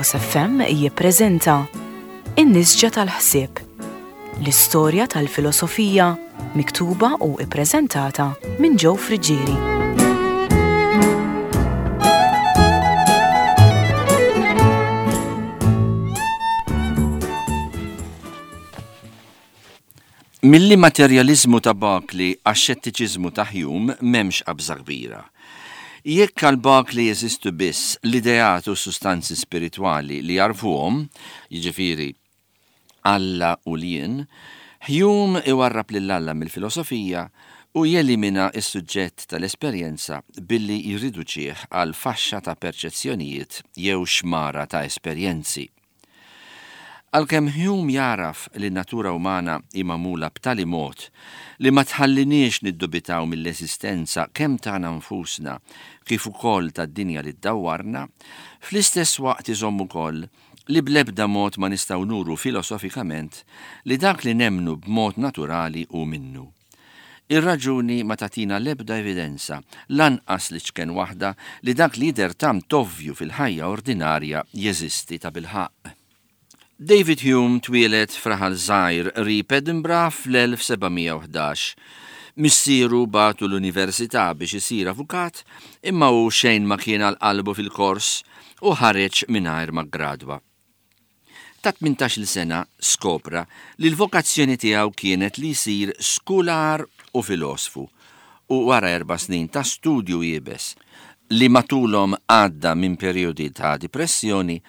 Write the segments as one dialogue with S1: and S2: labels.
S1: Lighthouse FM jippreżenta In-Nisġa tal-Ħsieb, l-istorja tal-filosofija miktuba u ippreżentata minn Joe Friggieri.
S2: Mill-immaterjaliżmu ta' Berkeley għax-xettiċiżmu ta' Hume m'hemmx qabża kbira. Jekk għal Berkeley jeżistu biss l-ideat u s-sustanzi spiritwali li jagħrfuhom, jiġifieri Alla u l-jien, Hume iwarrab lil Alla mill-filosofija u jelimina s-suġġett tal-esperjenza billi jirriduċih għal faxxa ta' perċezzjonijiet jew xmara ta' esperjenzi. Għalkemm Hume jagħraf li n-natura umana hi magħmula b'tali mod li ma tħalliniex niddubitaw mill-eżistenza kemm tagħna nfusna kif ukoll tad-dinja li ddawwarna, fl-istess waqt iżomm ukoll li bl-ebda mod ma nistgħu nuru filosofikament li dak li nemmnu b'mod naturali hu minnu. Ir-raġuni ma tagħtina l-ebda evidenza, lanqas l-iċken waħda, li dak li jidher tant ovvju fil-ħajja ordinarja jeżisti tabilħaqq. David Hume twieled f'raħal żgħir qrib Edinburgh fl-1711. Missieru bagħtu l-università biex isir avukat, imma hu xejn ma kien għal qalbu fil-kors u ħareġ mingħajr ma ggradwa. Ta' tmintax-il sena skopra li l-vokazzjoni tiegħu kienet li jsir skular u filosfu u wara erba' snin ta' studju iebes, li matulhom għadda minn perjodi ta' dipressjoni,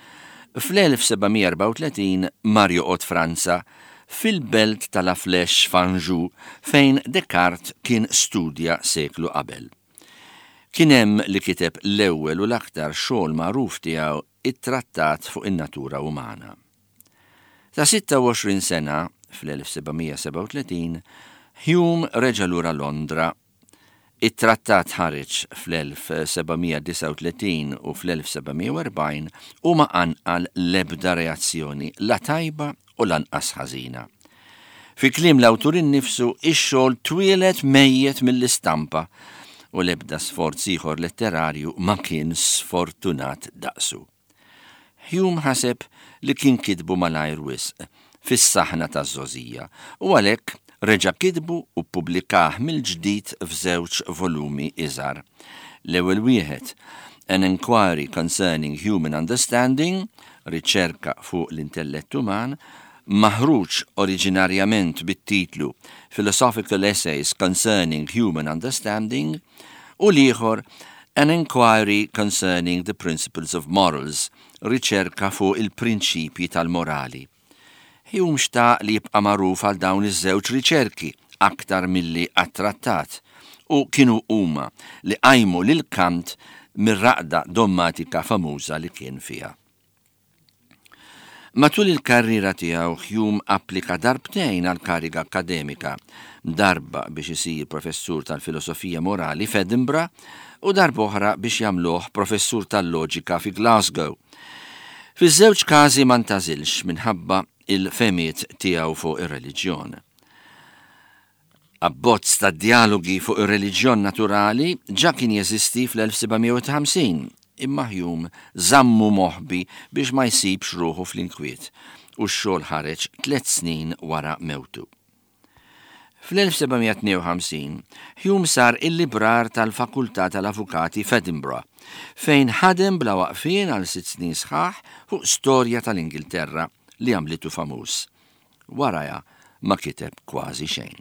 S2: fl-1734 mar joqgħod Franza, fil-belt ta' La Flèche f'Anjou fejn Descartes kien studja seklu qabel. Kien hemm li kiteb l-ewwel u l-aktar xogħol magħruf tiegħu it-Trattat fuq in-Natura Umana. Ta' 26 sena, fl-1737, Hume reġa' lura Londra. It-trattat ħareġ fl-1739 u fl-1740 u ma qanqal l-ebda reazzjoni, la tajba u lanqas ħażina. Fi kliem l-awtur innifsu, ix-xogħol twieled mejjet mill-istampa u l-ebda sforz ieħor letterarju ma kien sfortunat daqsu. Hume ħaseb li kien kitbu malajr wisq, fis-saħna taż-żgħożija, u għalhekk reġa' kitbu u ppubblikah mill-ġdid f'żewġ volumi iżgħar. L-ewwel wieħed, An Enquiry Concerning Human Understanding, Riċerka fuq l-Intellett Uman, maħruġ oriġinarjament bit-titlu Philosophical Essays Concerning Human Understanding, u l-ieħor An Enquiry Concerning the Principles of Morals, Riċerka fuq il-Prinċipji tal-Morali. Hume xtaq li jibqa' magħruf għal dawn iż-żewġ riċerki aktar milli għat-trattat, u kienu huma li qajmu lil Kant mir-raqda dommatika famuża li kien fiha. Matul il-karriera tiegħu Hume applika darbtejn għal kariga akkademika, darba biex isir professur tal-filosofija morali f'Edinburgh u darba oħra biex jagħmluh professur tal-loġika fi Glasgow. Fiż-żewġ każi ma ntgħażilx minħabba l-fehmiet tiegħu fuq ir-reliġjon. Abbozz ta' djalogi fuq ir-reliġjon naturali ġa kien jeżisti fl-1750, imma Hume żammu moħbi biex ma jsibx ruħu fl-inkwiet, u x-xogħol ħareġ tliet snin wara mewtu. Fl-1752, Hume sar il-librar tal-Fakultà tal-Avukati f'Edinburgh, fejn ħadem bla waqfien għal sitt snin sħaħ fuq storja tal-Ingilterra li għamlitu famuż. Warajha ma kiteb kważi xejn.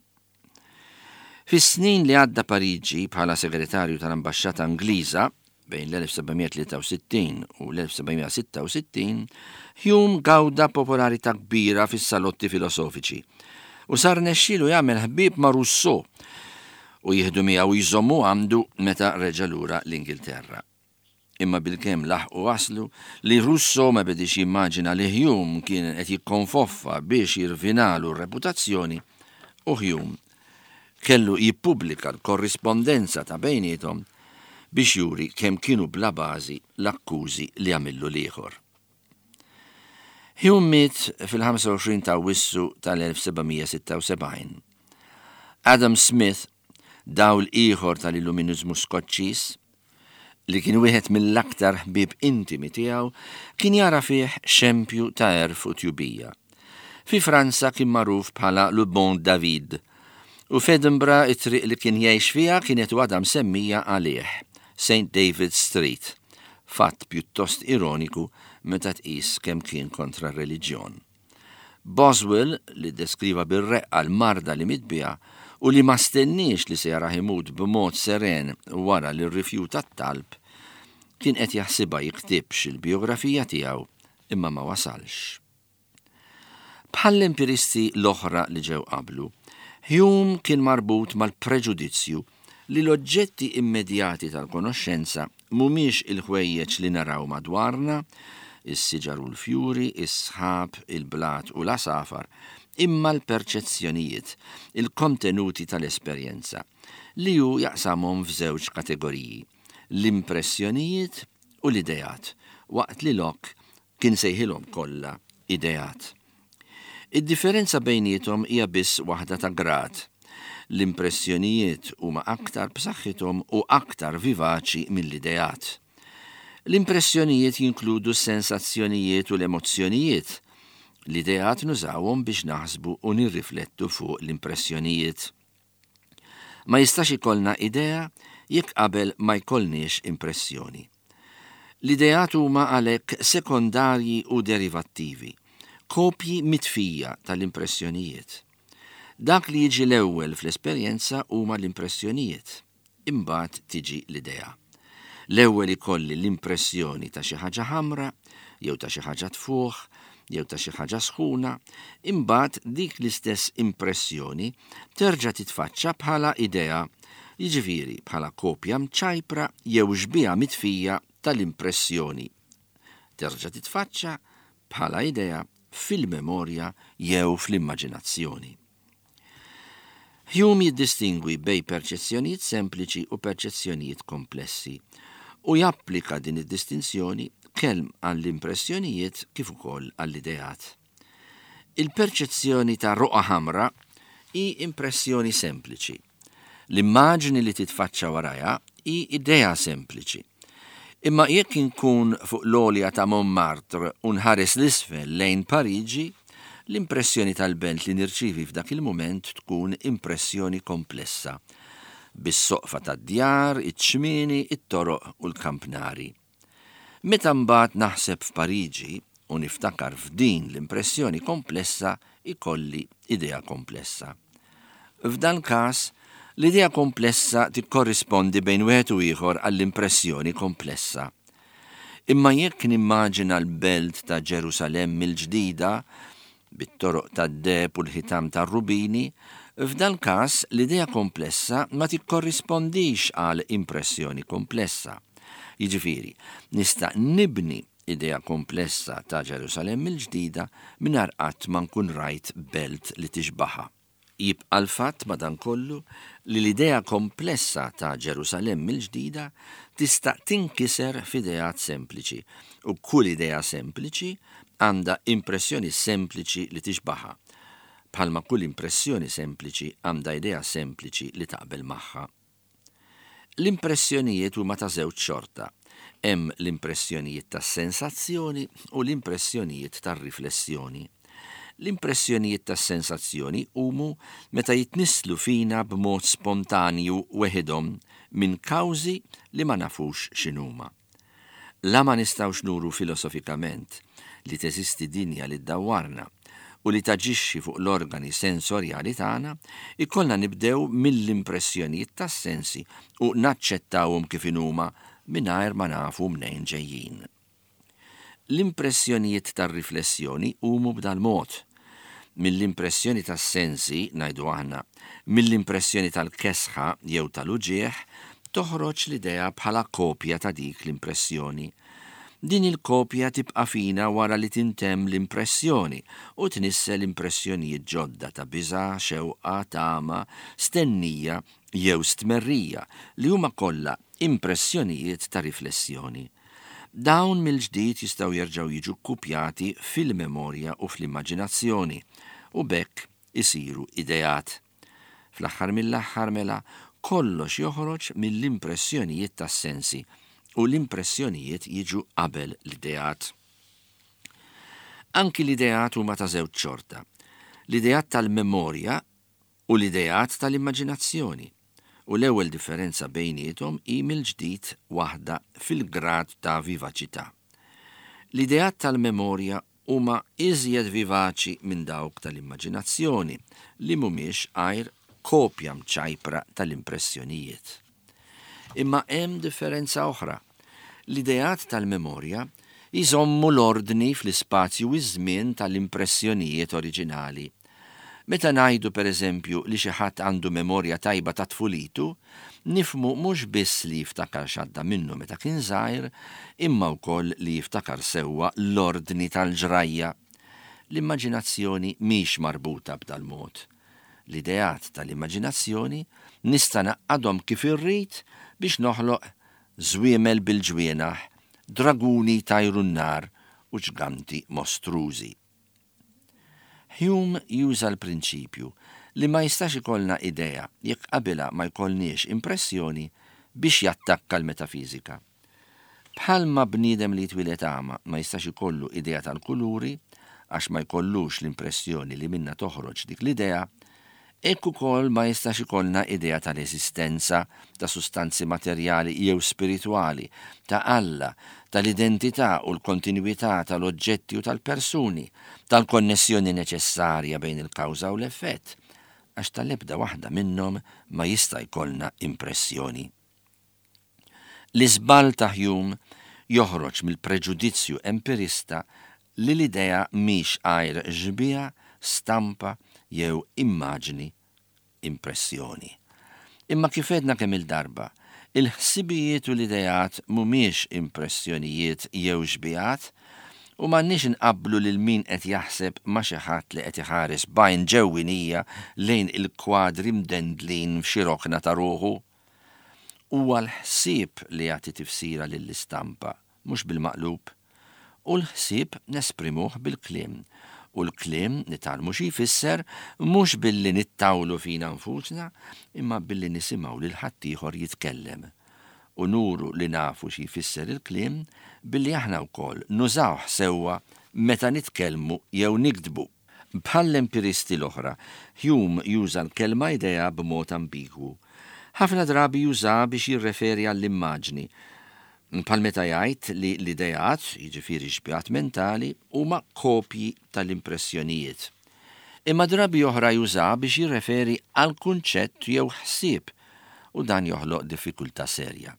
S2: Fis-snin li għadda Pariġi bħala segretarju tal-Ambaxxata Ingliża bejn l-1763 u l-1766, Hume gawda popolarità kbira fis-salotti filosofiċi u sar rnexxielu jagħmel ħbieb ma' Rousseau u jieħdu miegħu jżommu għandu meta reġa' lura l-Ingilterra. Imma bilkemm laħqu waslu li Rousseau ma bediex jimmaġina li Hume kien qed jikkonfoffa biex jirvinalu r-reputazzjoni u Hume kellu jippubblika l-korrispondenza ta' bejniethom biex juri kemm kienu bla bażi l-akkużi li għamillu l-ieħor. Hume miet fil-25 ta' Awwissu tal-1776. Adam Smith, dawl ieħor tal-Illuminiżmu Skoċċiż, li kien wieħed mill-aktar ħbieb intimi tiegħu, kien jara fih xempju ta' għerf u tjubija. Fi Franza kien magħruf bħala Le Bon David, u f'Edinburgh it-triq li kien jgħix fiha kienet u għadha msemmija għalih, Saint David's Street, fatt pjuttost ironiku meta tqis kemm kien kontra r-reliġjon. Boswell, li ddeskriva bir-reqqa l-marda li miet biha u li ma stenniex li se jarah imut b'mod seren wara li rrifjuta t-talb, kien qed jaħsibha jiktibx il-bijografija tiegħu imma ma wasalx. Bħall-empiristi l-oħra li ġew qablu, Hume kien marbut mal-preġudizzju li l-oġġetti immedjati tal-konoxxenza mhumiex il-ħwejjeġ li naraw madwarna, is-siġar u l-fjuri, is-sħab, il-blat u l-għasafar, imma l-perċezzjonijiet, il-kontenuti tal-esperjenza, li hu jaqsamhom f'żewġ kategoriji, l-impressjonijiet u l-ideat, waqt li Locke kien sejħilhom kollha ideat. Id-differenza bejniethom hija biss waħda ta' grad. L-impressjonijiet huma aktar b'saħħithom u aktar vivaċi mill-ideat. L-impressjonijiet jinkludu s-sensazzjonijiet u l-emozzjonijiet. L-ideat nużawhom biex naħsbu u nirriflettu fuq l-impressjonijiet. Ma jistax ikollna idea jekk qabel ma jkollniex impressjoni. L-ideat huma għalhekk sekondarji u derivattivi, kopji mitfija tal-impressjonijiet. Dak li jiġi l-ewwel fl-esperjenza huma l-impressjonijiet. Imbagħad tiġi l-idea. L-ewwel ikolli l-impressjoni ta' xi ħaġa ħamra, jew ta' xi ħaġa tfuħ, jew ta' xi ħaġa sħuna, imbagħad dik l-istess impressjoni terġa' titfaċċa bħala idea, jiġifieri bħala kopja mċajpra jew xbieha mitfija tal-impressjoni. Terġa' titfaċċa bħala idea fil-memorja jew fl-immaġinazzjoni. Hume jiddistingwi bejn perċezzjonijiet sempliċi u perċezzjonijiet komplessi u japplika din id-distinzjoni kemm għall-impressjonijiet kif ukoll għall-ideat. Il-perċezzjoni ta' roqgħa ħamra hi impressjoni sempliċi. L-immaġni li titfaċċa warajha hi idea sempliċi. Imma jekk inkun fuq l-għolja ta' Montmartre u nħares 'l isfel lejn Pariġi, l-impressjoni tal-belt li nirċievi f'dak il-mument tkun impressjoni komplessa, bis-soqfa tad-djar, iċ-ċmieni, it-toroq u l-kampnari. Meta mbagħad naħseb f'Pariġi u niftakar f'din l-impressjoni komplessa jkolli idea komplessa. F'dal-każ, l-idea komplessa tikkorrispondi bejn wieħed u ieħor għall-impressjoni komplessa. Imma jekk nimmaġina l-belt ta' Ġerusalemm il-ġdida, bit-toroq tad-deheb u l-ħitan tar-rubini, f'dal-każ l-idea komplessa ma tikkorrispondix għal impressjoni komplessa. Jiġifieri, nista' nibni idea komplessa ta' Ġerusalemm il-ġdida mingħajr qatt ma nkun rajt belt li tixbahha. Jibqa' l-fatt, madankollu, li l-idea komplessa ta' Ġerusalemm il-Ġdida tista' tinkiser f'ideat sempliċi, u kull idea sempliċi għandha impressjoni sempliċi li tixbahha, bħalma kull impressjoni sempliċi għandha idea sempliċi li taqbel magħha. L-impressjonijiet huma ta' żewġ xorta. Hemm l-impressjonijiet tas-sensazzjoni u l-impressjonijiet tar-riflessjoni. L-impressjonijiet tas-sensazzjoni jqumu meta jitnisslu fina b'mod spontanju weħidhom minn kawżi li ma nafux x'inhuma. La ma nistgħux nuru filosofikament li teżisti dinja li ddawwarna u li taġixxi fuq l-organi sensorjali tagħna, ikollna nibdew mill-impressjonijiet tas-sensi u naċċettawhom kif inhuma mingħajr ma nafu mnejn ġejjin. L-impressjonijiet tar-riflessjoni jqumu b'dal-mod. Mill-impressjoni tas-sensi, ngħidu aħna, mill-impressjoni tal-kesħa jew tal-uġigħ, toħroġ l-idea bħala kopja ta' dik l-impressjoni. Din il-kopja tibqa' fina wara li tintemm l-impressjoni u tnissel impressjonijiet ġodda ta' biża', xewqa, tama, stennija jew stmerrija li huma kollha impressjonijiet ta' riflessjoni. Dawn mill-ġdid jistgħu jerġgħu jiġu kkupjati fil-memorja u fl-immaġinazzjoni u b'hekk isiru ideat. Fl-aħħar mill-aħħar mela, kollox joħroġ mill-impressjonijiet tas-sensi. u l-impressjonijiet jiġu qabel l-ideat. Anki l-ideat huma ta' żewġ xorta, l-ideat tal-memorja u l-ideat tal-immaġinazzjoni, u l-ewwel differenza bejniethom hi mill-ġdid waħda fil-grad ta' vivaċità. L-ideat tal-memorja huma iżjed vivaċi minn dawk tal-immaġinazzjoni li mhumiex għajr kopja mċajpra tal-impressjonijiet. Imma hemm differenza oħra. L-ideat tal-memorja jżommu l-ordni fl-ispazju u ż-żmien tal-impressjonijiet oriġinali. Meta ngħidu, per eżempju, li xi ħadd għandu memorja tajba ta' tfulitu, nifhmu mhux biss li jiftakar x'għadda minnu meta kien żgħir, imma wkoll li jiftakar sewwa l-ordni tal-ġrajja. L-immaġinazzjoni mhix marbuta b'dal-mod. L-ideat tal-immaġinazzjoni nista' ngħaqqadhom kif irrid biex noħloq żwiemel bil-ġwienaħ, draguni jtajru n-nar u ġganti mostrużi. Hume juża l-prinċipju li ma jistax ikollna idea jekk qabilha ma jkollniex impressjoni biex jattakka l-metafiżika. Bħalma bniedem li jitwieled agħma ma jistax ikollu idea tal-kuluri għax ma jkollux l-impressjoni li minnha toħroġ dik l-idea, hekk ukoll ma jistax ikollna idea tal-eżistenza ta' sustanzi materjali jew spiritwali, ta' Alla, tal-identità u l-kontinwità tal-oġġetti u tal-persuni, tal-konnessjoni neċessarja bejn il-kawża u l-effett, għax tal-ebda waħda minnhom ma jista' jkollna impressjoni. L-iżball ta' Hume joħroġ mill-preġudizzju empirista li l-idea mhix għajr xbieha, stampa jew immaġni, impressjoni. Imma kif għedna kemm-il darba, il-ħsibijiet u l-ideat mhumiex impressjonijiet jew xbihat u m'għandniex inqabblu lil min qed jaħseb ma' xi ħadd li qed iħares b'għajn ġewwinija lejn il-kwadri mdendlin f'xi rokna ta' ruħu. Huwa l-ħsieb li jagħti tifsira lill-istampa, mhux bil-maqlub. U l-ħsieb nesprimuh bil-kliem. U l-kliem nitgħallmu xi jfisser mhux billi nittawlu fina nfusna, imma billi nisimgħu lil ħaddieħor jitkellem. U nuru li nafu xi jfisser il-kliem billi aħna wkoll nużawh sewwa meta nitkellmu jew niktbu. Bħall-empiristi l-oħra, Hume juża l-kelma idea b'mod ambigwu. Ħafna drabi jużaha biex jirreferi għall-immaġni, bħal meta jgħid li l-ideat, jiġifieri x-xbihat mentali, huma kopji tal-impressjonijiet. Imma drabi oħra jużaha biex jirreferi għal kunċett jew ħsieb, u dan joħloq diffikultà serja.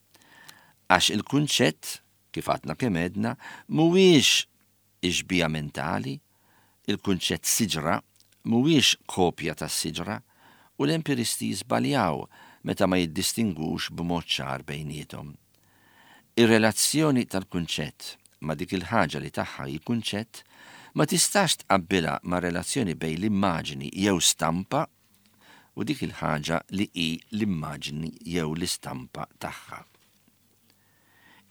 S2: Għax il-kunċett, kif għadna kemm għedna, mhuwiex Ix-xbieha mentali, il-kunċett siġra mhuwiex kopja tas-siġra u l-empiristi jiżbaljaw meta ma jiddistingwux b'mod ċar bejniethom. Ir-relazzjoni tal-kunċett ma' dik il-ħaġa li tagħha hi kunċett ma tistax tqabbilha mar-relazzjoni bejn l-immaġni jew stampa u dik il-ħaġa li hi l-immaġni jew l-istampa tagħha.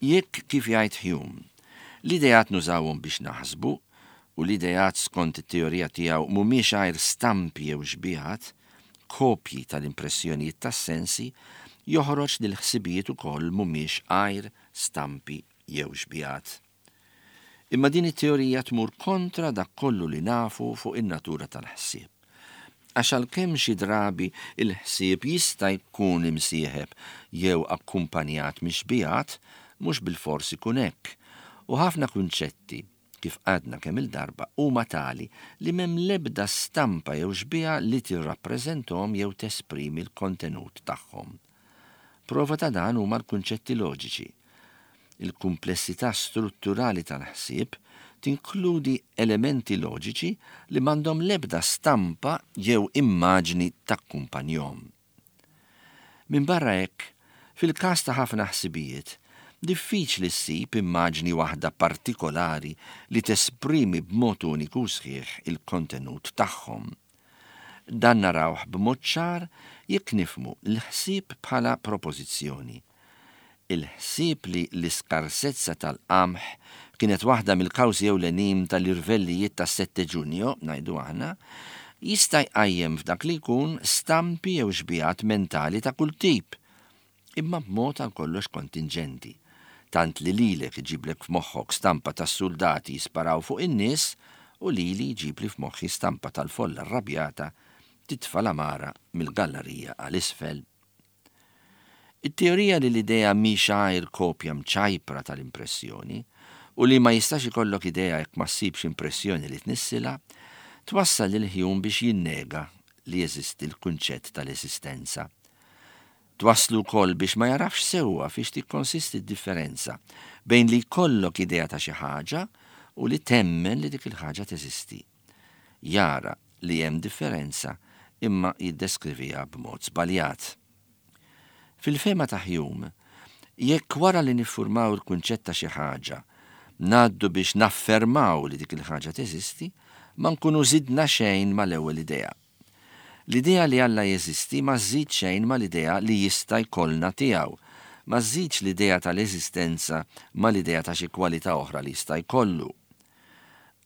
S2: Jekk, kif jgħid Hume, l-ideat nużawhom biex naħsbu, u l-ideat skont it-teorija tiegħu mhumiex għajr stampi jew xbihat, kopji tal-impressjonijiet tas-sensi, joħroġ li l-ħsibijiet ukoll mhumiex għajr stampi jew xbihat. Imma din it-teorija tmur kontra dak kollu li nafu fuq in-natura tal-ħsieb. Għax għalkemm xi drabi l-ħsieb jista' jkun imsieħeb jew akkumpanjat mix-xbihat, mhux bilfors ikun hekk. U ħafna kunċetti, kif għadna kemm-il darba, huma tali li m'hemm l-ebda stampa jew xbieha li tirrappreżenthom jew tesprimi l-kontenut tagħhom. Prova ta' dan huma l-kunċetti loġiċi. Il-kumplessità strutturali tal-ħsieb tinkludi elementi loġiċi li m'għandhom l-ebda stampa jew immaġni takkumpanjhom. Minbarra hekk, fil-każ ta' ħafna ħsibijiet, diffiċli ssib immaġni waħda partikolari li tesprimi b'mod uniku u sħiħ il-kontenut tagħhom. Dan narawh b'mod ċar jekk nifhmu l-ħsieb bħala propożizzjoni. Il-ħsieb li l-iskarsezza tal-qamħ kienet waħda mill-kawżi ewlenin tal-irvellijiet tas-Sette Giugno, ngħidu aħna, jista' jqajjem f'dak li jkun stampi jew xbihat mentali ta' kull tip, imma b'mod għal kollox kontinġenti. tant li lilek iġiblek f'moħħok stampa tas-suldati jisparaw fuq in-nies u lili jġibli f'moħħi stampa tal-folla rrabjata titfa' l-għamara mill-gallarija għal isfel. It-teorija li l-idea mhix għajr kopja mċajpra tal-impressjoni, u li ma jistax ikollok idea jekk ma ssibx impressjoni li tnissilha, twassal lil Hume biex jinnega li jeżisti l-kunċett tal-eżistenza. Twasslu wkoll biex ma jagħrafx sewwa fiex tikkonsisti d-differenza bejn li jkollok idea ta' xi ħaġa u li temmen li dik il-ħaġa teżisti. Jara li hemm differenza imma jiddeskriviha b'mod żbaljat. Fil-fehma ta' Hume, jekk wara li niffurmaw il-kunċett ta' xi ħaġa, ngħaddu biex naffermaw li dik il-ħaġa teżisti, ma nkunu żidna xejn mal-ewwel idea. L-idea li Alla jeżisti ma żżid xejn mal-idea li jista' jkollna tiegħu, ma żżidx l-idea tal-eżistenza mal-idea ta' xi kwalità oħra li jista' jkollu.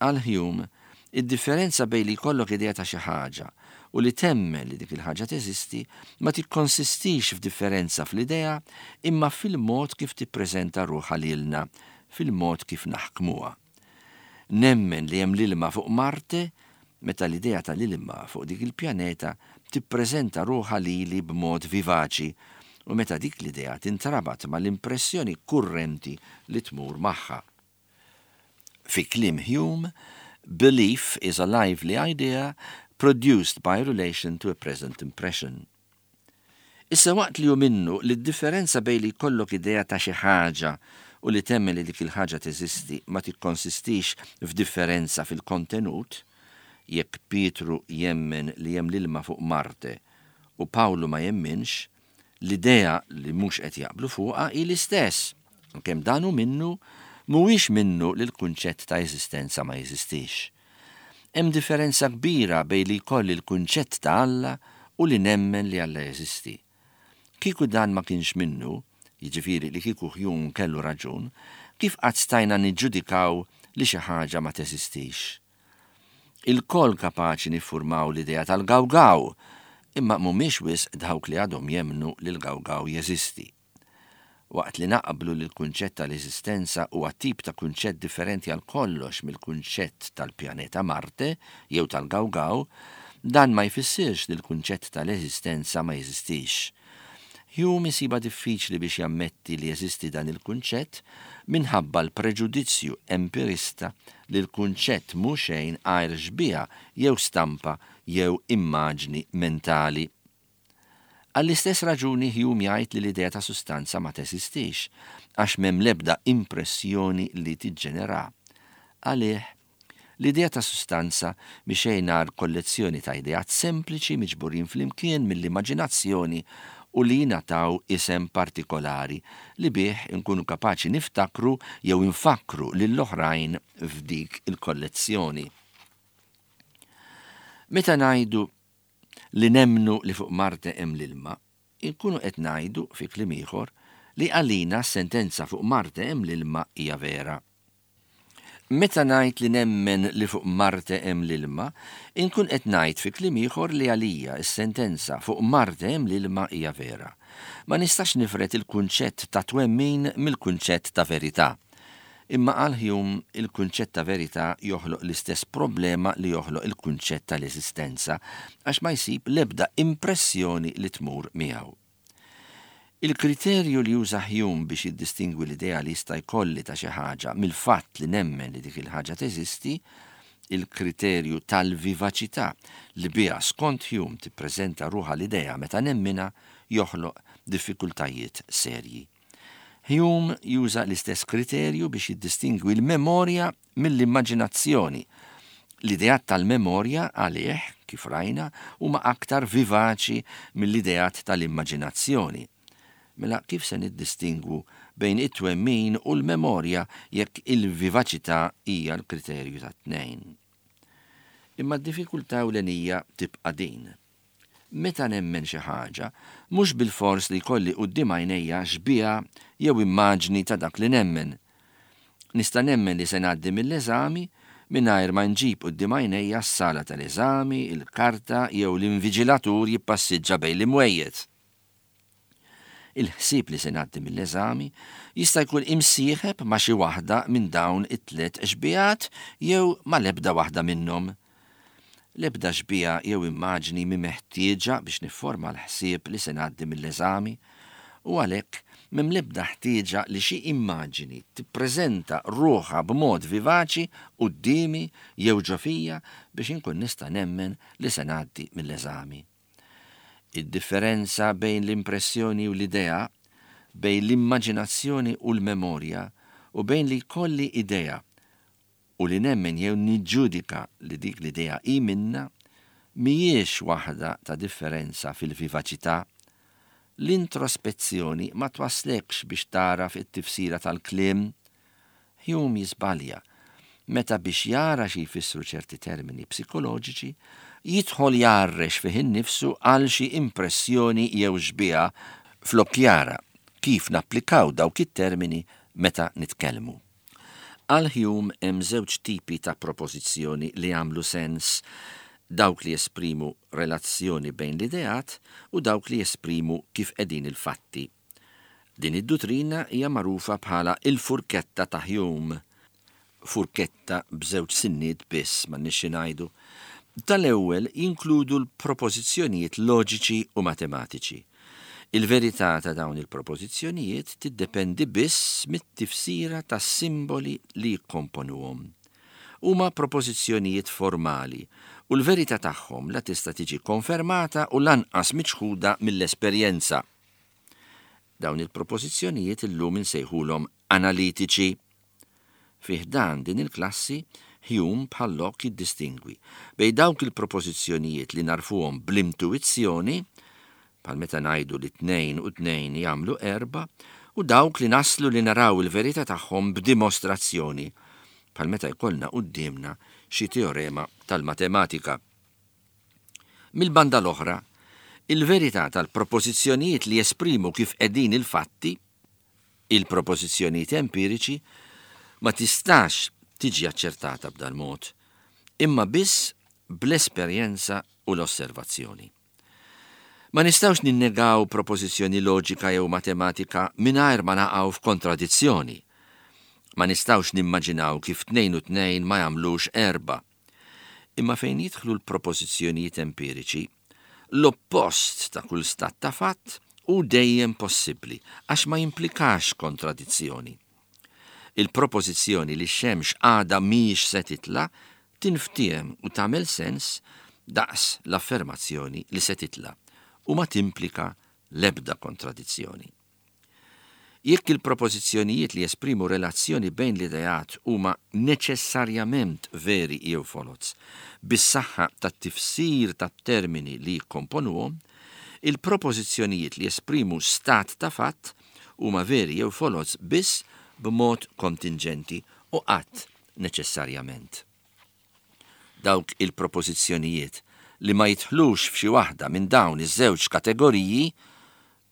S2: Għal Hume, id-differenza bejn li jkollok idea ta' xi ħaġa u li temmen li dik il-ħaġa teżisti ma tikkonsistix f'differenza fl-idea imma fil-mod kif tippreżenta ruħha lilna, fil-mod kif naħkmuha. Nemmen li hemm l-ilma fuq Marte meta l-idea tal-ilma fuq dik il-pjaneta tippreżenta ruħha lili b'mod vivaċi u meta dik l-idea tintrabat mal-impressjoni kurrenti li tmur magħha. Fi kliem Hume, belief is a lively idea produced by relation to a present impression. Issa waqt li hu minnu li d-differenza bejn li jkollok idea ta' xi ħaġa u li temmen li dik il-ħaġa teżisti ma tikkonsistix f'differenza fil-kontenut, jekk Pietru jemmen li hemm l-ilma fuq Marte u Pawlu ma jemminx, l-idea li mhux qed jaqblu fuqha hi l-istess. Għalkemm dan hu minnu, mhuwiex minnu li l-kunċett ta' eżistenza ma jeżistix. Hemm differenza kbira bejn li jkolli l-kunċett ta' Alla u li nemmen li Alla jeżisti. Kieku dan ma kienx minnu, jiġifieri li kieku Hume kellu raġun, kif qatt stajna niġġudikaw li xi ħaġa ma teżistix? Ilkoll kapaċi niffurmaw l-idea tal-gawgaw, imma mhumiex wisq dawk li għadhom jemmnu li l-gawgaw jeżisti. Waqt li naqblu li l-kunċett tal-eżistenza huwa tip ta' kunċett differenti għal kollox mill-kunċett tal-pjaneta Marte jew tal-gawgaw, dan ma jfissirx li l-kunċett tal-eżistenza ma jeżistix. Hume isibha diffiċli biex jammetti li jeżisti dan il-kunċett minħabba l-preġudizzju empirista li l-kunċett mhu xejn għajr xbieha jew stampa jew immaġni mentali. Għall-istess raġuni Hume jgħid li l-idea ta' sustanza ma teżistix, għax m'hemm l-ebda impressjoni li tiġġenera. Għalih, l-idea ta' sustanza mhi xejn għajr kollezzjoni ta' ideat sempliċi miġburin flimkien mill-immaġinazzjoni u li jingħataw isem partikolari li bih inkunu kapaċi niftakru jew infakkru lill-oħrajn f'dik il-kollezzjoni. Meta ngħidu li nemmnu li fuq Marte hemm l-ilma, inkunu qed ngħidu, fi kliem ieħor, li għalina s-sentenza fuq Marte hemm l-ilma hija vera. Meta ngħid li nemmen li fuq Marte hemm l-ilma, inkun qed ngħid fi kliem ieħor li għalija s-sentenza fuq Marte hemm l-ilma hija vera. Ma nistax nifred il-kunċett ta' twemmin mill-kunċett ta' verità. Imma għal Hume, il-kunċett ta' verità joħloq l-istess problema li joħloq il-kunċett tal-eżistenza għax ma jsib l-ebda impressjoni li tmur miegħu. Il-kriterju li juża Hume biex jiddistingwi l-idea li jista' jkolli ta' xi ħaġa mill-fatt li nemmen li dik il-ħaġa teżisti, il-kriterju tal-vivaċità li biha skont Hume tippreżenta ruħha l-idea meta nemminha, joħloq diffikultajiet serji. Hume juża l-istess kriterju biex jiddistingwi l-memorja mill-immaġinazzjoni. L-ideat tal-memorja għalih, kif rajna, huma aktar vivaċi mill-ideat tal-immaġinazzjoni. Mela kif se niddistingwu bejn it-twemmin u l-memorja jekk il-vivaċità hija l-kriterju tat-tnejn? Imma d-diffikultà ewlenija tibqa' din. Meta nemmen xi ħaġa, mhux bilfors li jkolli quddiem għajnejja xbieha jew immaġni ta' dak li nemmen. Nista' nemmen li se ngħaddi mill-eżami mingħajr ma nġib quddiem għajnejja s-sala tal-eżami, il-karta jew l-inviġilatur jippassiġġa bejn l-imwejjed. Il-ħsieb li se ngħaddi mill-eżami jista' jkun imsieħeb ma' xi waħda minn dawn it-tlett xbihat jew ma' l-ebda waħda minnhom. L-ebda xbieha jew immaġni mhi meħtieġa biex nifforma l-ħsieb li se ngħaddi mill-eżami u għalhekk m'hemm l-ebda ħtieġa li xi immaġini tippreżenta ruħha b'mod vivaċi quddiemi jew ġo fija biex inkun nista' nemmen li se ngħaddi mill-eżami. Id-differenza bejn l-impressjoni u l-idea, bejn l-immaġinazzjoni u l-memorja, u bejn li jkolli idea u li nemmen jew niġġudika li dik l-idea hi minnha, mhijiex waħda ta' differenza fil-vivaċità. L-introspezzjoni ma twasslekx biex tagħraf it-tifsira tal-kliem Hume jiżbalja meta biex jara xi jfissru ċerti termini psikoloġiċi, jidħol jgħarrex fih innifsu għal xi impressjoni jew xbieha flok jara kif napplikaw dawk it-termini meta nitkellmu. Għal Hume hemm żewġ tipi ta' propożizzjoni li jagħmlu sens, dawk li jesprimu relazzjoni bejn l-ideat u dawk li jesprimu kif qegħdin il-fatti. Din id-duttrina hija magħrufa bħala l-furketta ta' Hume. Furketta b'żewġ sinniet biss, m'għandniex xi ngħidu. Tal-ewwel jinkludu l-propożizzjonijiet loġiċi u matematiċi. Il-verità ta' dawn il-propożizzjonijiet tiddependi biss mit-tifsira tas-simboli li jikkomponuhom. Huma propożizzjonijiet formali u l-verità tagħhom la tista' tiġi konfermata u lanqas miċħuda mill-esperjenza. Dawn il-propożizzjonijiet illum insejħulhom analitiċi. Fi ħdan din il-klassi, Hume bħal Locke jiddistingwi bejn dawk il-propożizzjonijiet li nagħrfuhom bl-intuwizzjoni, bħal meta ngħidu li tnejn u tnejn jagħmlu erbgħa, u dawk li naslu li naraw il-verità tagħhom b'dimostrazzjoni, bħal meta jkollna quddiemna xi teorema tal-matematika. Mill-banda l-oħra, il-verità tal-propożizzjonijiet li jesprimu kif qegħdin il-fatti, il-propożizzjonijiet empiriċi, ma tistax tiġi aċċertata b'dal-mod, imma biss bl-esperjenza u l-osservazzjoni. Ma nistgħux ninnegaw propożizzjoni loġika jew matematika mingħajr ma naqgħu f'kontradizzjoni. Ma nistgħux nimmaġinaw kif tnejn u tnejn ma jagħmlux erbgħa. Imma fejn jidħlu l-propożizzjonijiet empiriċi, l-oppost ta' kull stat ta' fatt hu dejjem possibbli għax ma jimplikax kontradizzjoni. Il-propożizzjoni li x-xemx għada mhijiex se titla' tinftiehem u tagħmel sens daqs l-affermazzjoni li se titla' u ma timplika l-ebda kontradizzjoni. Jekk il-propożizzjonijiet li jesprimu relazzjoni bejn l-ideat huma neċessarjament veri jew foloz, bis-saħħa tat-tifsir tat-termini li jikkomponuhom, il-propożizzjonijiet li jesprimu stat ta' fatt huma veri jew foloz biss b'mod kontinġenti u qatt neċessarjament. Dawk il-propożizzjonijiet li ma jidħlux f'xi waħda minn dawn iż-żewġ kategoriji,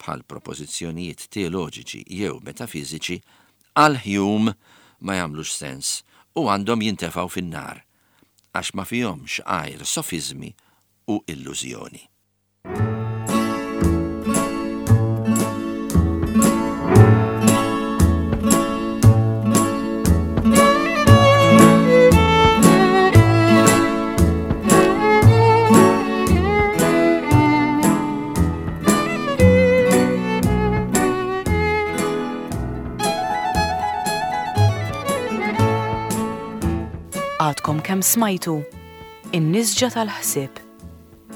S2: bħal propożizzjonijiet teoloġiċi jew metafiżiċi, għal Hume ma jagħmlux sens u għandhom jintefgħu fin-nar, għax ma fihomx għajr sofiżmi u illużjoni.
S1: Għadkom kemm smajtu In-Nisġa tal-Ħsieb.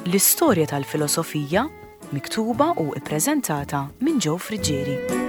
S1: L-istorja tal-filosofija miktuba u ippreżentata minn Joe Friggieri.